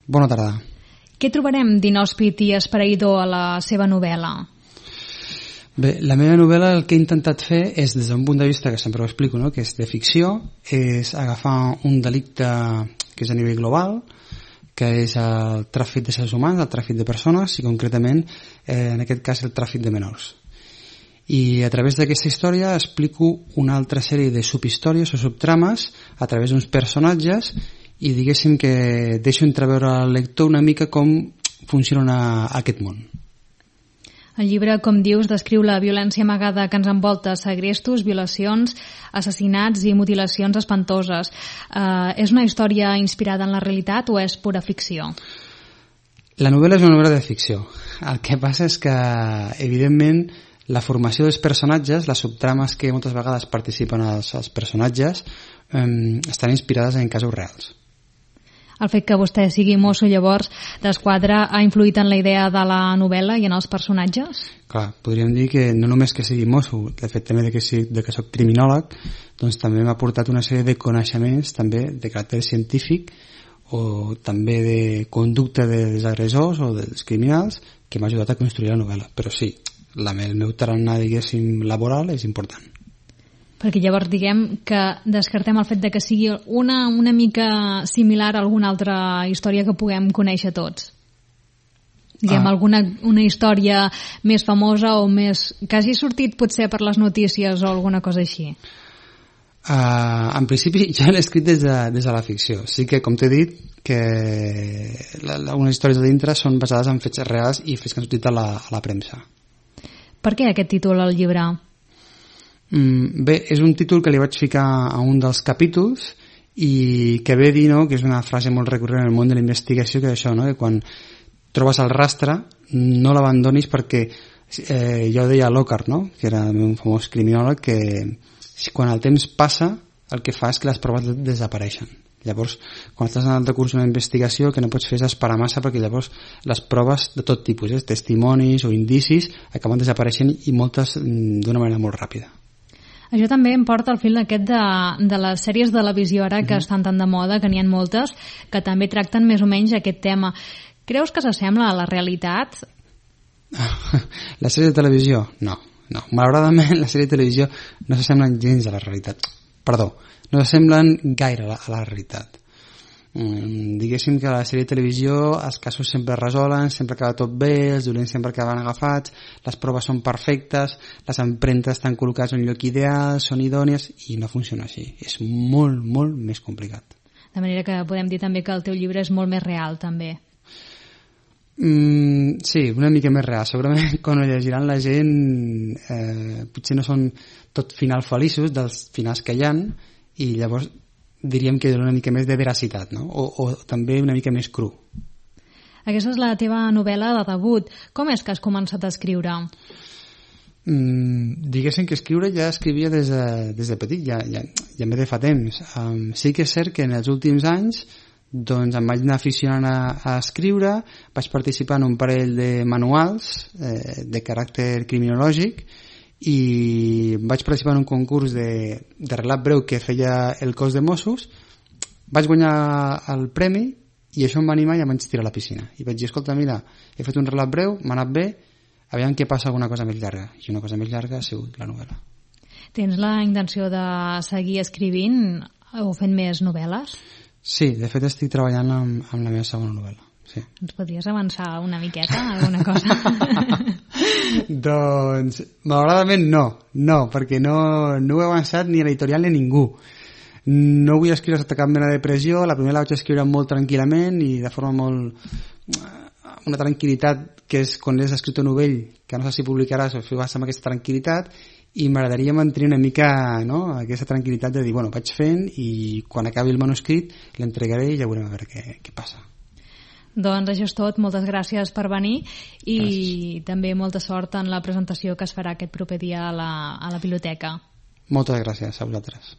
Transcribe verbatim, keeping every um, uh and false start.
Bona tarda. Què trobarem d'inhòspit i esfereïdor a la seva novel·la? Bé, la meva novel·la el que he intentat fer és, des d'un punt de vista que sempre ho explico, no? Que és de ficció, és agafar un delicte que és a nivell global, que és el tràfic de éssers humans, el tràfic de persones i concretament, eh, en aquest cas, el tràfic de menors. I a través d'aquesta història explico una altra sèrie de subhistòries o subtrames a través d'uns personatges i diguéssim que deixo entreveure al lector una mica com funciona aquest món. El llibre, com dius, descriu la violència amagada que ens envolta, segrestos, violacions, assassinats i mutilacions espantoses. Uh, és una història inspirada en la realitat o és pura ficció? La novel·la és una novel·la de ficció. El que passa és que, evidentment, la formació dels personatges, les subtrames que moltes vegades participen els, els personatges, eh, estan inspirades en casos reals. El fet que vostè sigui mosso, llavors, d'Esquadra ha influït en la idea de la novel·la i en els personatges? Clar, podríem dir que no només que sigui mosso, el fet també de que, sigui, de que soc criminòleg, doncs també m'ha portat una sèrie de coneixements també de caràcter científic o també de conducta dels agressors o dels criminals que m'ha ajudat a construir la novel·la. Però sí, la, el meu tarannà, diguéssim, laboral és important. Perquè llavors diguem que descartem el fet de que sigui una, una mica similar a alguna altra història que puguem conèixer tots. Diguem, ah. alguna una història més famosa o més... que hagi sortit potser per les notícies o alguna cosa així. Uh, en principi jo l'he escrit des de, des de la ficció. Sí que, com t'he dit, que la, algunes històries de dintre són basades en fets reals i fets que han sortit a la, a la premsa. Per què aquest títol al llibre? Mm, bé, és un títol que li vaig ficar a un dels capítols i que ve a dir, no?, que és una frase molt recurrent en el món de la investigació, que és això, no?, que quan trobes el rastre no l'abandonis perquè eh, ja ho deia Lockhart, no?, que era un famós criminòleg, que quan el temps passa el que fa és que les proves desapareixen. Llavors, quan estàs en el decurs d'una investigació, el que no pots fer és esperar massa, perquè llavors les proves de tot tipus, eh, testimonis o indicis, acaben desapareixent i moltes d'una manera molt ràpida. Això també em porta al fil aquest de, de les sèries de televisió ara que mm-hmm. estan tan de moda, que n'hi ha moltes, que també tracten més o menys aquest tema. Creus que s'assembla a la realitat? La sèrie de televisió? No, no. Malauradament, la sèrie de televisió no s'assemblen gens a la realitat. Perdó, no s'assemblen gaire a la, a la realitat. Mm, diguéssim que a la sèrie de televisió els casos sempre es resolen, sempre acaba tot bé, els dolents sempre acaben agafats, les proves són perfectes, les empremtes estan col·locades en un lloc ideal, són idònies, i no funciona així. És molt, molt més complicat. De manera que podem dir també que el teu llibre és molt més real, també. Mm, sí, una mica més real. Segurament quan ho llegiran la gent eh, potser no són tot finals feliços dels finals que hi ha, i llavors diríem que una mica més de veracitat, no? O, o també una mica més cru. Aquesta és la teva novel·la de debut. Com és que has començat a escriure? Mm, diguéssim que escriure ja escrivia des de, des de petit, ja, ja, ja em ve de fa temps. Um, sí que és cert que en els últims anys doncs em vaig anar aficionant a, a escriure, vaig participar en un parell de manuals eh, de caràcter criminològic, i vaig participar en un concurs de, de relat breu que feia el cos de Mossos, vaig guanyar el premi i això em va animar i em vaig tirar a la piscina i vaig dir, escolta, mira, he fet un relat breu, m'ha anat bé, aviam què passa alguna cosa més llarga, i una cosa més llarga ha sigut la novel·la. Tens la intenció de seguir escrivint o fent més novel·les? Sí, de fet estic treballant amb, amb la meva segona novel·la. Sí. Ens podries avançar una miqueta, alguna cosa? Doncs, malauradament no, no, perquè no, no he avançat ni a l'editorial ni a ningú. No vull escriure sota cap mena de pressió, la primera la vaig escriure molt tranquil·lament i de forma molt... una tranquil·litat que és quan l'has escrit un novell, que no sé si publicaràs o fes amb aquesta tranquil·litat, i m'agradaria mantenir una mica, no?, aquesta tranquil·litat de dir, bueno, vaig fent i quan acabi el manuscrit l'entregaré i ja veurem a veure què, què passa. Doncs això és tot, moltes gràcies per venir i gràcies. També molta sort en la presentació que es farà aquest proper dia a la, a la biblioteca. Moltes gràcies a vosaltres.